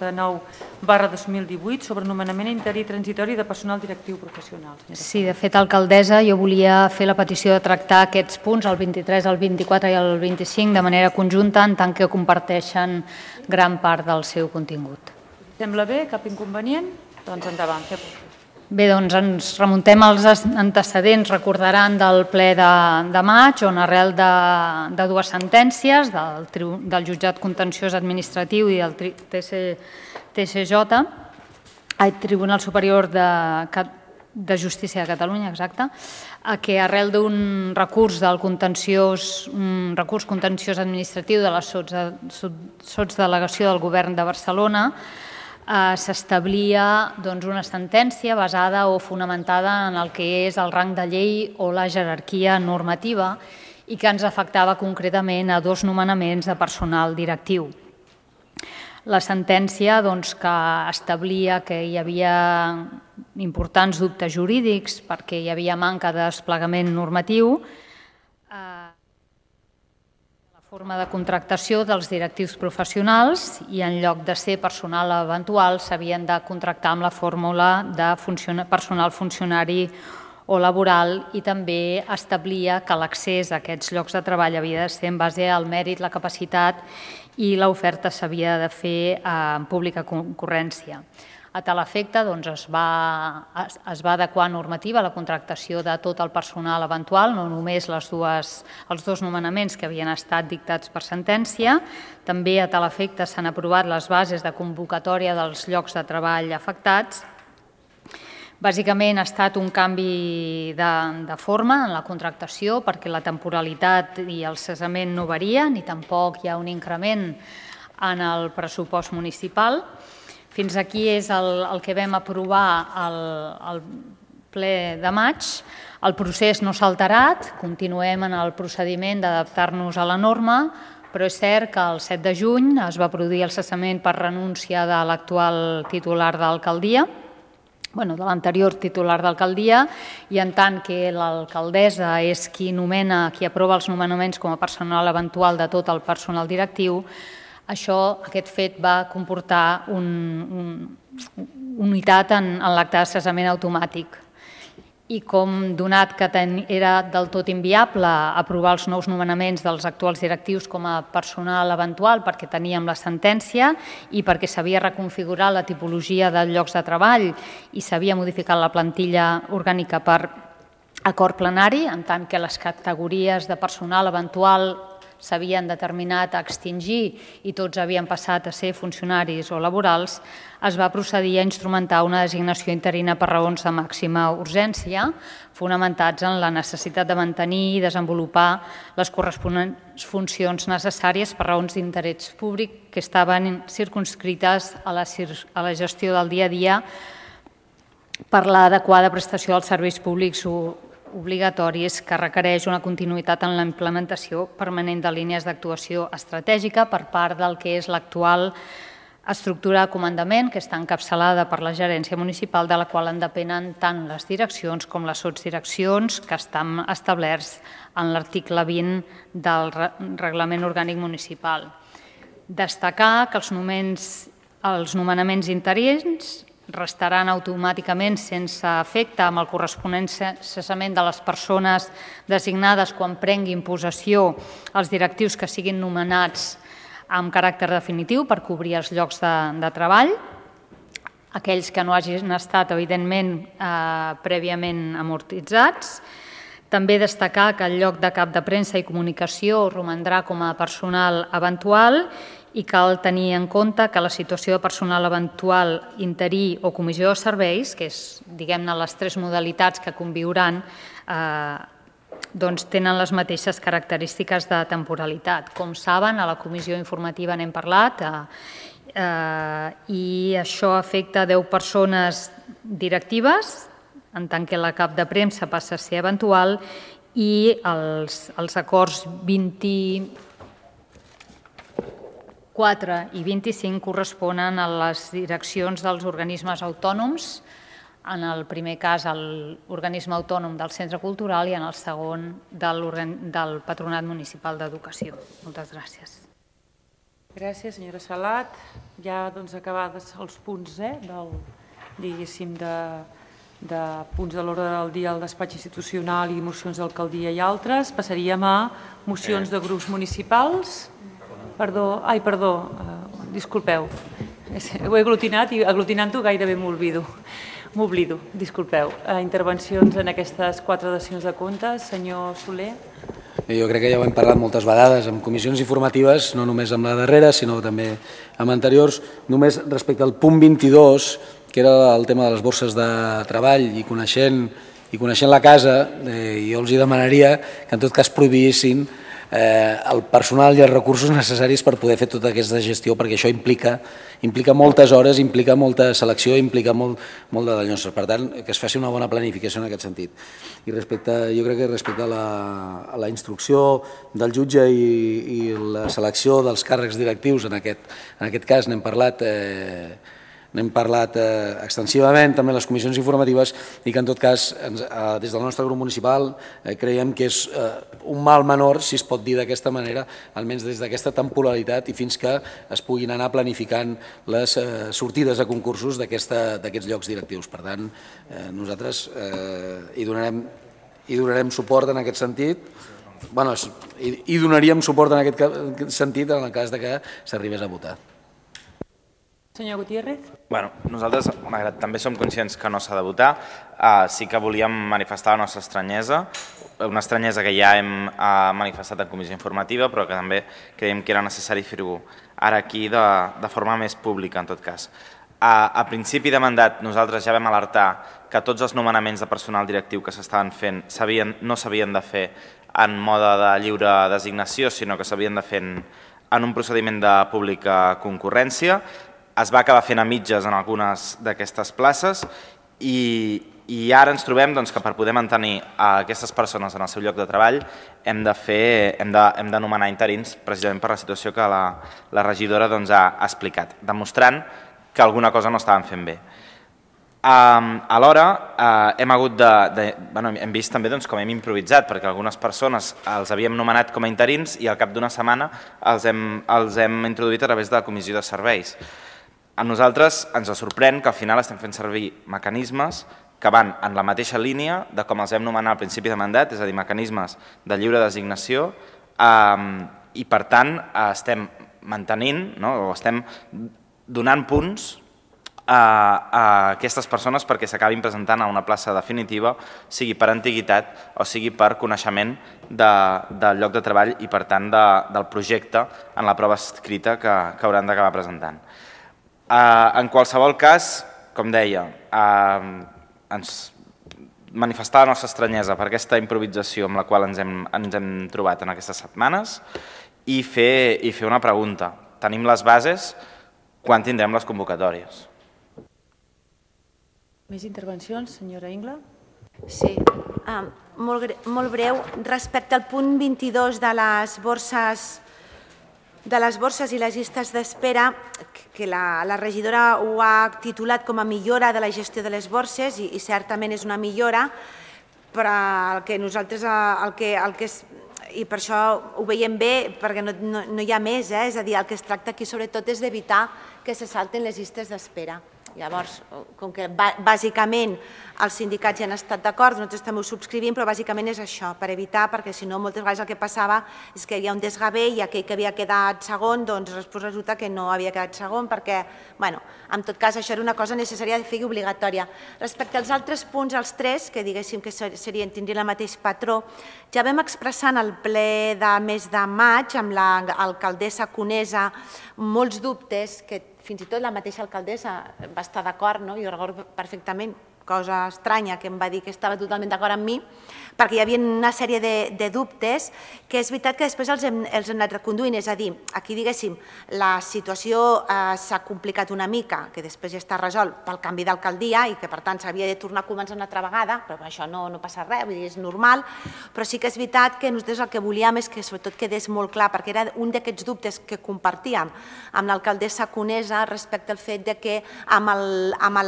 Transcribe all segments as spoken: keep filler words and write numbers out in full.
cinquanta-nou barra dos mil divuit sobre nomenament interí transitori de personal directiu professional. Sí, de fet, alcaldessa, jo volia fer la petició de tractar aquests punts, el vint-i-tres, el vint-i-quatre i el vint-i-cinc, de manera conjunta, en tant que comparteixen gran part del seu contingut. Sembla bé? Cap inconvenient? Doncs endavant. Bé, doncs ens remuntem als antecedents, recordaran, del ple de, de maig, on arrel de, de dues sentències, del, del jutjat contenciós administratiu i del T C J, el Tribunal Superior de, de Justícia de Catalunya, exacte, que arrel d'un recurs del contenciós, un recurs contenciós administratiu de la sotsdelegació del Govern de Barcelona, s'establia una sentència basada o fonamentada en el que és el rang de llei o la jerarquia normativa i que ens afectava concretament a dos nomenaments de personal directiu. La sentència que establia que hi havia importants dubtes jurídics perquè hi havia manca de desplegament normatiu, forma de contractació dels directius professionals i en lloc de ser personal eventual s'havien de contractar amb la fórmula de personal funcionari o laboral i també establia que l'accés a aquests llocs de treball havia de ser en base al mèrit, la capacitat i l'oferta s'havia de fer en pública concurrència. A tal efecte es va adequar normativa a la contractació de tot el personal eventual, no només els dos nomenaments que havien estat dictats per sentència. També a tal efecte s'han aprovat les bases de convocatòria dels llocs de treball afectats. Bàsicament ha estat un canvi de forma en la contractació perquè la temporalitat i el cessament no varien ni tampoc hi ha un increment en el pressupost municipal. Fins aquí és el que vam aprovar al ple de maig. El procés no s'ha alterat, continuem en el procediment d'adaptar-nos a la norma, però és cert que el set de juny es va produir el cessament per renúncia de l'actual titular d'alcaldia, de l'anterior titular d'alcaldia, i en tant que l'alcaldessa és qui nomena, qui aprova els nomenaments com a personal eventual de tot el personal directiu, això, aquest fet va comportar una unitat en l'acte de cessament automàtic. I com donat que era del tot inviable aprovar els nous nomenaments dels actuals directius com a personal eventual perquè teníem la sentència i perquè s'havia reconfigurat la tipologia de llocs de treball i s'havia modificat la plantilla orgànica per acord plenari, en tant que les categories de personal eventual s'havien determinat a extingir i tots havien passat a ser funcionaris o laborals, es va procedir a instrumentar una designació interina per raons de màxima urgència, fonamentats en la necessitat de mantenir i desenvolupar les corresponents funcions necessàries per raons d'interès públic que estaven circumscrites a la gestió del dia a dia per l'adequada prestació dels serveis públics obligatoris que requereix una continuïtat en la implementació permanent de línies d'actuació estratègica per part del que és l'actual estructura de comandament, que està encapçalada per la gerència municipal, de la qual en depenen tant les direccions com les sotsdireccions que estan establerts en l'article vint del Reglament Orgànic Municipal. Destacar que els nomenaments interins restaran automàticament sense efecte amb el corresponent cessament de les persones designades quan prenguin possessió els directius que siguin nomenats amb caràcter definitiu per cobrir els llocs de treball, aquells que no hagin estat, evidentment, prèviament amortitzats. També destacar que el lloc de cap de premsa i comunicació romandrà com a personal eventual i cal tenir en compte que la situació de personal eventual interí o comissió de serveis, que és, diguem-ne, les tres modalitats que conviuran, doncs tenen les mateixes característiques de temporalitat. Com saben, a la comissió informativa n'hem parlat i això afecta deu persones directives, en tant que la cap de premsa passa a ser eventual i els acords vint-i-quatre i vint-i-cinc corresponen a les direccions dels organismes autònoms, en el primer cas l'organisme autònom del centre cultural i en el segon del Patronat Municipal d'Educació. Moltes gràcies. Gràcies, senyora Salat. Ja doncs acabades els punts, eh, del, diguéssim, de, de punts de l'ordre del dia al despatx institucional i mocions d'alcaldia i altres. Passaríem a mocions de grups municipals. Perdó, ai, perdó, uh, disculpeu. Ho he aglutinat i aglutinant-ho gairebé m'oblido. M'oblido, disculpeu. Uh, intervencions en aquestes quatre dacions de comptes. Senyor Soler. Jo crec que ja ho hem parlat moltes vegades en comissions informatives, no només amb la darrera, sinó també amb anteriors. Només respecte al punt vint-i-dos, que era el tema de les borses de treball, i coneixent, i coneixent la casa, eh, jo els hi demanaria que en tot cas prohibissin eh, el personal i els recursos necessaris per poder fer tota aquesta gestió, perquè això implica, implica moltes hores, implica molta selecció, implica molt, molt de dallonses. Per tant, que es faci una bona planificació en aquest sentit. I respecte, jo crec que respecte a la, a la instrucció del jutge i, i la selecció dels càrrecs directius, en aquest, en aquest cas n'hem parlat eh, n'hem parlat eh, extensivament també en les comissions informatives, i que en tot cas ens, eh, des del nostre grup municipal eh, creiem que és eh, un mal menor, si es pot dir d'aquesta manera, almenys des d'aquesta temporalitat i fins que es puguin anar planificant les eh, sortides a concursos d'aquests llocs directius. Per tant, eh, nosaltres eh, hi, donarem, hi donarem suport en aquest sentit. Bueno, hi, hi donaríem suport en aquest sentit en el cas de que s'arribés a votar. Senyor Gutiérrez. Bueno, nosaltres, malgrat també som conscients que no s'ha de votar, eh, sí que volíem manifestar la nostra estranyesa, una estranyesa que ja hem eh, manifestat en comissió informativa, però que també creiem que era necessari fer-ho ara aquí de, de forma més pública, en tot cas. A, a principi de mandat nosaltres ja vam alertar que tots els nomenaments de personal directiu que s'estaven fent sabien, no s'havien de fer en mode de lliure designació, sinó que s'havien de fer en, en un procediment de pública concurrència. Es va acabar fent a mitges en algunes d'aquestes places i, i ara ens trobem doncs, que per poder mantenir aquestes persones en el seu lloc de treball hem de, fer, hem de, hem de nomenar interins precisament per la situació que la, la regidora doncs, ha explicat, demostrant que alguna cosa no estaven fent bé. Um, alhora uh, hem hagut de, de bueno, hem vist també doncs, com hem improvisat, perquè algunes persones els havíem nomenat com a interins i al cap d'una setmana els hem, els hem introduït a través de la comissió de serveis. A nosaltres ens sorprèn que al final estem fent servir mecanismes que van en la mateixa línia de com els vam nomenar al principi de mandat, és a dir, mecanismes de lliure designació, eh, i per tant estem mantenint, no, o estem donant punts a, a aquestes persones perquè s'acabin presentant a una plaça definitiva, sigui per antiguitat o sigui per coneixement de, del lloc de treball i per tant de, del projecte en la prova escrita que, que hauran d'acabar presentant. En qualsevol cas, com deia, ens manifestar la nostra estranyesa per aquesta improvisació amb la qual ens hem, ens hem trobat en aquestes setmanes i fer, i fer una pregunta. Tenim les bases, quan tindrem les convocatòries? Més intervencions, senyora Ingla? Sí, uh, molt, molt breu. Respecte al punt vint-i-dos de les borses de les borses i les llistes d'espera, que la, la regidora ho ha titulat com a millora de la gestió de les borses i, i certament és una millora, però el que nosaltres, el que, el que és, i per això ho veiem bé, perquè no, no, no hi ha més, eh? És a dir, el que es tracta aquí sobretot és d'evitar que se salten les llistes d'espera. Llavors, com que bàsicament els sindicats ja han estat d'acord, nosaltres també ho subscrivim, però bàsicament és això, per evitar, perquè si no moltes vegades el que passava és que hi ha un desgavell i aquell que havia quedat segon, doncs després resulta que no havia quedat segon, perquè, bueno, en tot cas això era una cosa necessària de fer i obligatòria. Respecte als altres punts, els tres, que diguéssim que serien, tindrien el mateix patró, ja vam expressar en el ple de mes de maig amb l'alcaldessa Conesa molts dubtes que fins i tot la mateixa alcaldessa va estar d'acord, no? Jo recordo perfectament, cosa estranya, que em va dir que estava totalment d'acord amb mi, perquè hi havia una sèrie de, de dubtes que és veritat que després els hem, els hem anat reconduint, és a dir, aquí diguéssim, la situació eh, s'ha complicat una mica, que després ja està resolt pel canvi d'alcaldia i que per tant s'havia de tornar a començar una altra vegada, però això no, no passa res, vull dir, és normal, però sí que és veritat que nosaltres el que volíem és que sobretot quedés molt clar, perquè era un d'aquests dubtes que compartíem amb l'alcaldessa Conesa respecte al fet de que amb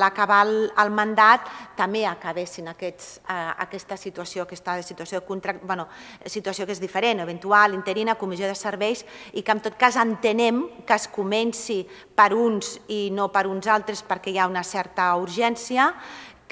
l'acabar el, el mandat debat també acabessin aquesta situació, aquesta situació de contracte, bueno, situació que és diferent, eventual, interina, comissió de serveis, i que en tot cas entenem que es comenci per uns i no per uns altres perquè hi ha una certa urgència,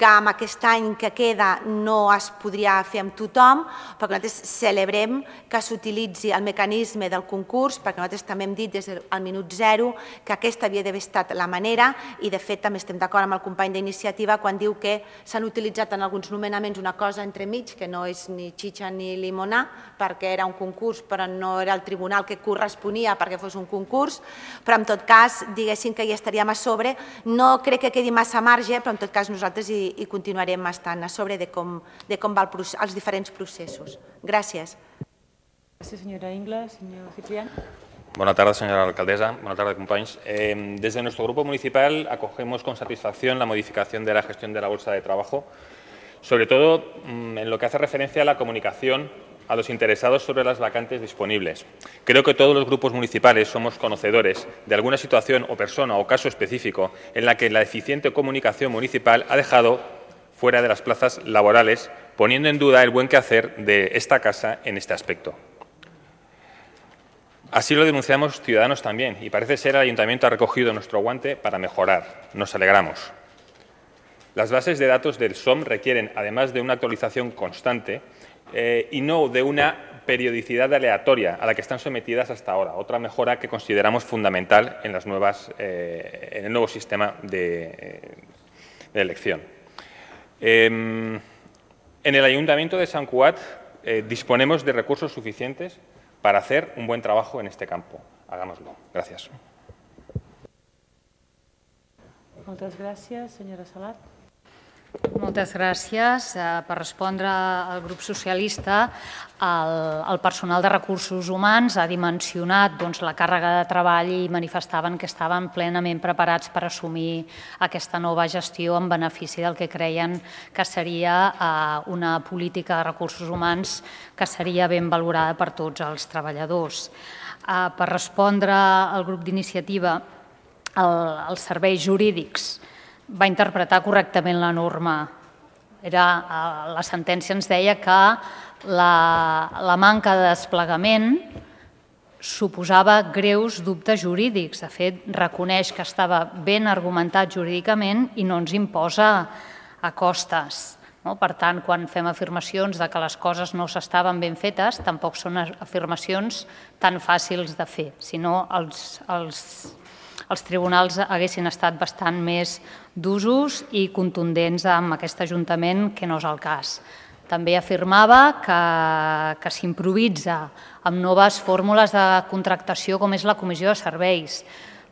que amb aquest any que queda no es podria fer amb tothom, perquè nosaltres celebrem que s'utilitzi el mecanisme del concurs, perquè nosaltres també hem dit des del minut zero que aquesta havia d'haver estat la manera, i de fet també estem d'acord amb el company d'iniciativa quan diu que s'han utilitzat en alguns nomenaments una cosa entremig, que no és ni xitxa ni limonar, perquè era un concurs però no era el tribunal que corresponia perquè fos un concurs, però en tot cas diguéssim que hi estaríem a sobre, no crec que quedi massa marge, però en tot cas nosaltres hi i continuarem estant a sobre de com van els diferents processos. Gràcies. Gràcies, senyora Ingles. Senyor Ciprián. Buenas tardes, señora alcaldesa. Buenas tardes, compañeros. Eh, desde nuestro grupo municipal acogemos con satisfacción la modificación de la gestión de la bolsa de trabajo, sobre todo en lo que hace referencia a la comunicación a los interesados sobre las vacantes disponibles. Creo que todos los grupos municipales somos conocedores de alguna situación o persona o caso específico en la que la eficiente comunicación municipal ha dejado fuera de las plazas laborales, poniendo en duda el buen quehacer de esta casa en este aspecto. Así lo denunciamos ciudadanos también, y parece ser el Ayuntamiento ha recogido nuestro guante para mejorar. Nos alegramos. Las bases de datos del S O M requieren, además de una actualización constante, Eh, y no de una periodicidad aleatoria a la que están sometidas hasta ahora, otra mejora que consideramos fundamental en, las nuevas, eh, en el nuevo sistema de, eh, de elección. Eh, en el Ayuntamiento de Sant Cugat eh, disponemos de recursos suficientes para hacer un buen trabajo en este campo. Hagámoslo. Gracias. Moltes gràcies, senyora Salat. Moltes gràcies. Per respondre al grup socialista, el personal de recursos humans ha dimensionat la càrrega de treball i manifestaven que estaven plenament preparats per assumir aquesta nova gestió en benefici del que creien que seria una política de recursos humans que seria ben valorada per tots els treballadors. Per respondre al grup d'iniciativa, els serveis jurídics va interpretar correctament la norma. La sentència ens deia que la manca de desplegament suposava greus dubtes jurídics. De fet, reconeix que estava ben argumentat jurídicament i no ens imposa a costes. Per tant, quan fem afirmacions que les coses no s'estaven ben fetes, tampoc són afirmacions tan fàcils de fer, sinó els els tribunals haguessin estat bastant més d'usos i contundents amb aquest Ajuntament, que no és el cas. També afirmava que s'improvisa amb noves fórmules de contractació com és la comissió de serveis.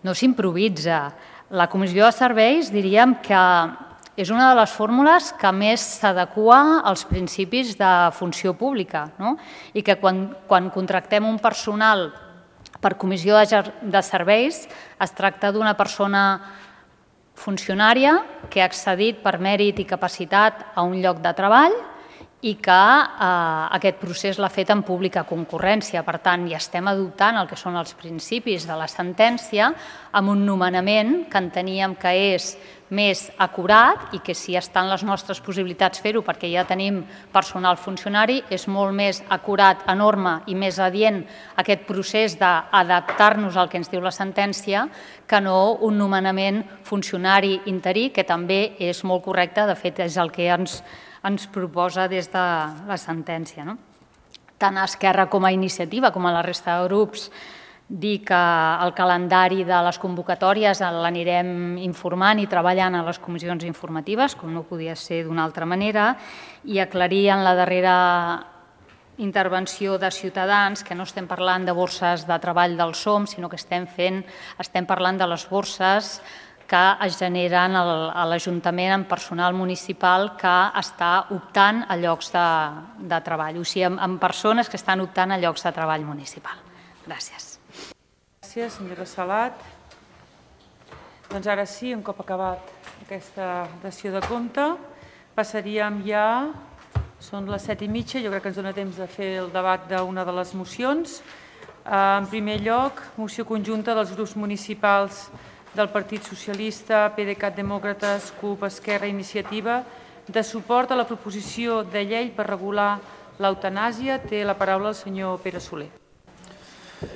No s'improvisa. La comissió de serveis diríem que és una de les fórmules que més s'adequa als principis de funció pública i que quan contractem un personal per comissió de serveis es tracta d'una persona funcionària que ha accedit per mèrit i capacitat a un lloc de treball i que aquest procés l'ha fet en pública concurrència. Per tant, ja estem adoptant el que són els principis de la sentència amb un nomenament que enteníem que és més acurat i que si estan les nostres possibilitats fer-ho perquè ja tenim personal funcionari, és molt més acurat, enorme i més adient aquest procés d'adaptar-nos al que ens diu la sentència que no un nomenament funcionari interí, que també és molt correcte, de fet és el que ens ens proposa des de la sentència. Tant a Esquerra com a Iniciativa, com a la resta de grups, dir que el calendari de les convocatòries l'anirem informant i treballant a les comissions informatives, com no podia ser d'una altra manera, i aclarir en la darrera intervenció de Ciutadans que no estem parlant de borses de treball del S O M, sinó que estem fent, estem parlant de les borses que es generen a l'Ajuntament amb personal municipal que està optant a llocs de treball, o sigui, amb persones que estan optant a llocs de treball municipal. Gràcies. Gràcies, senyora Salat. Doncs ara sí, un cop acabat aquesta dació de compte, passaríem ja, són les set i mitja, jo crec que ens dona temps de fer el debat d'una de les mocions. En primer lloc, moció conjunta dels grups municipals del Partit Socialista, PDeCAT Demòcrates, CUP, Esquerra, Iniciativa, de suport a la proposició de llei per regular l'eutanàsia. Té la paraula el senyor Pere Soler.